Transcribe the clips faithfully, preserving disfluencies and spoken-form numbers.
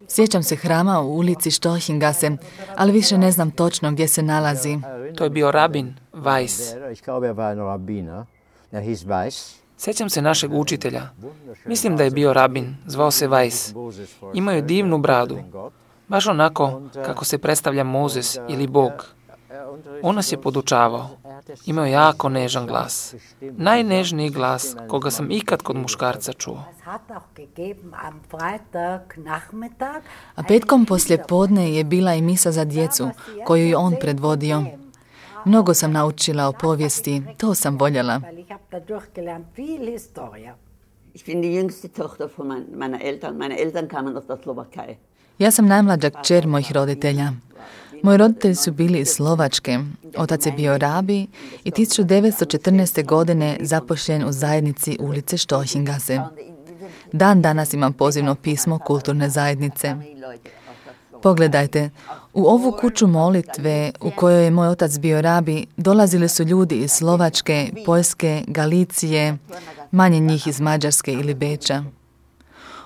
Sjećam se hrama u ulici Storchengasse, ali više ne znam točno gdje se nalazi. To je bio rabin Weiss. Sjećam se našeg učitelja. Mislim da je bio rabin, zvao se Weiss. Imao je divnu bradu, baš onako kako se predstavlja Mozes ili Bog. On nas je podučavao. Imao je jako nežan glas. Najnežniji glas koga sam ikad kod muškarca čuo. A petkom poslije podne je bila i misa za djecu, koju je on predvodio. Mnogo sam naučila o povijesti, to sam voljela. Ja sam najmlađa kćer mojih roditelja. Moji roditelji su bili iz Slovačke. Otac je bio rabi i tisuću devetsto četrnaeste. godine zapošljen u zajednici ulice Storchengasse. Dan danas imam pozivno pismo kulturne zajednice. Pogledajte, u ovu kuću molitve u kojoj je moj otac bio rabi, dolazili su ljudi iz Slovačke, Poljske, Galicije, manje njih iz Mađarske ili Beča.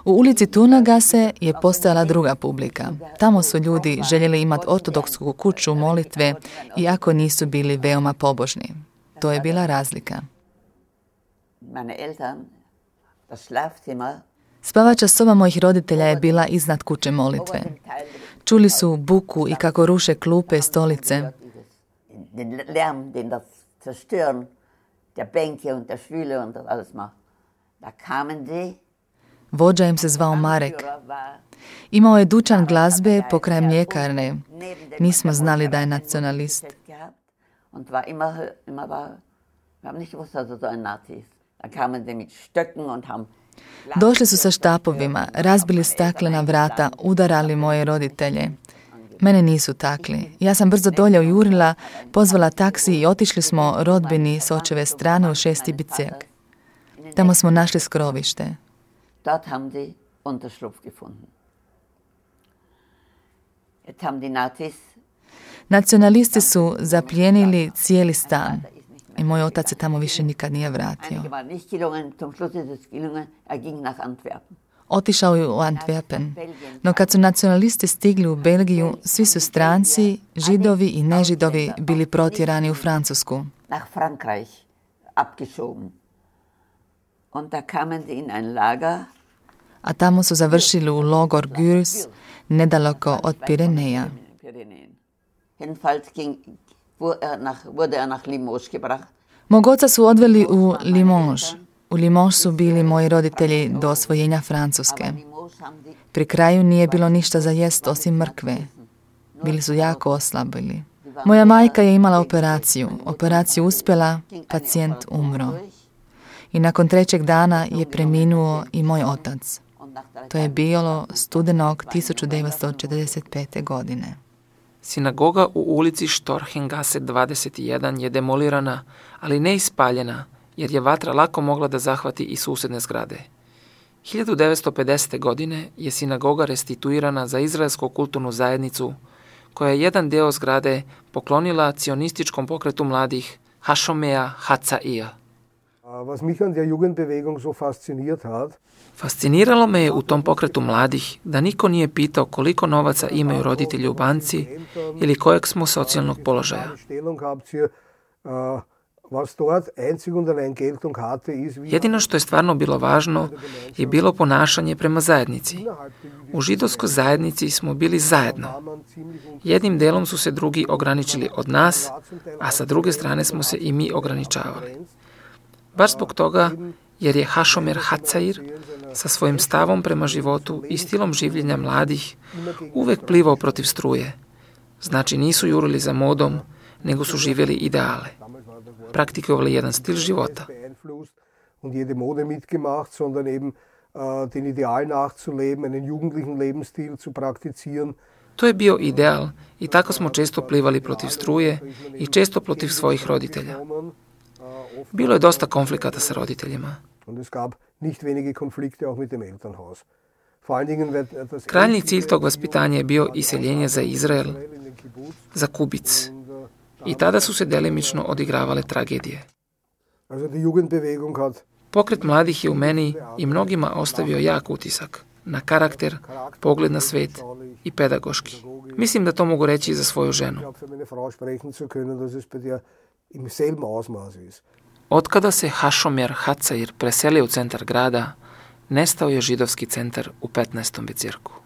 U ulici Turnagasse je postojala druga publika. Tamo su ljudi željeli imati ortodoksku kuću molitve, iako nisu bili veoma pobožni. To je bila razlika. Spavača soba mojih roditelja je bila iznad kuće molitve. Čuli su buku i kako ruše klupe, stolice. Vođa im se zvao Marek. Imao je dućan glazbe pokraj mljekarne. Nismo znali da je nacionalist. Došli su sa štapovima, razbili staklena vrata, udarali moje roditelje. Mene nisu takli. Ja sam brzo dolje ujurila, pozvala taksi i otišli smo rodbini s očeve strane u šesti biceg. Tamo smo našli skrovište. Dort haben die Unterschlupf gefunden. Jetzt haben die Nazis... Nacionalisti su zaplijenili cijeli stan i moj otac se tamo više nikad nije vratio. Otišao je u Antwerpen, no kad su nacionalisti stigli u Belgiju, svi su stranci, židovi i nežidovi bili protjerani u Francusku. Nach Frankreich abgeschoben. Und da kamen sie in ein Lager. A tamo su završili u logor Gürs, nedaleko od Pireneja. Mog oca su odveli u Limoges. U Limoges su bili moji roditelji do osvojenja Francuske. Pri kraju nije bilo ništa za jest osim mrkve. Bili su jako oslabili. Moja majka je imala operaciju. Operaciju uspjela, pacijent umro. I nakon trećeg dana je preminuo i moj otac. To je bilo studenog tisuću devetsto četrdeset pete. godine. Sinagoga u ulici Storchengasse dvadeset jedan je demolirana, ali ne ispaljena, jer je vatra lako mogla da zahvati i susjedne zgrade. hiljadu devetsto pedesete. godine je sinagoga restituirana za izraelsku kulturnu zajednicu, koja je jedan deo zgrade poklonila cionističkom pokretu mladih Hashomea Hatzair. Was mich an der Jugendbewegung so fasziniert hat, Fasciniralo me je u tom pokretu mladih da niko nije pitao koliko novaca imaju roditelji u banci ili kojeg smo socijalnog položaja. Jedino što je stvarno bilo važno je bilo ponašanje prema zajednici. U židovskoj zajednici smo bili zajedno. Jednim delom su se drugi ograničili od nas, a sa druge strane smo se i mi ograničavali. Baš zbog toga, jer je Hashomer Hatzair sa svojim stavom prema životu i stilom življenja mladih uvek plivao protiv struje. Znači nisu jurili za modom, nego su živjeli ideale. Praktikovali jedan stil života. To je bio ideal i tako smo često plivali protiv struje i često protiv svojih roditelja. Bilo je dosta konflikata sa roditeljima. Krajnji cilj tog vaspitanja je bio iseljenje za Izrael, za Kubic. I tada su se delimično odigravale tragedije. Pokret mladih je u meni i mnogima ostavio jak utisak. na karakter, pogled na svet i pedagoški. Mislim da to mogu reći i za svoju ženu. Otkada se Hašomir Hatzair preselio u centar grada, nestao je židovski centar u petnaestom bezirku.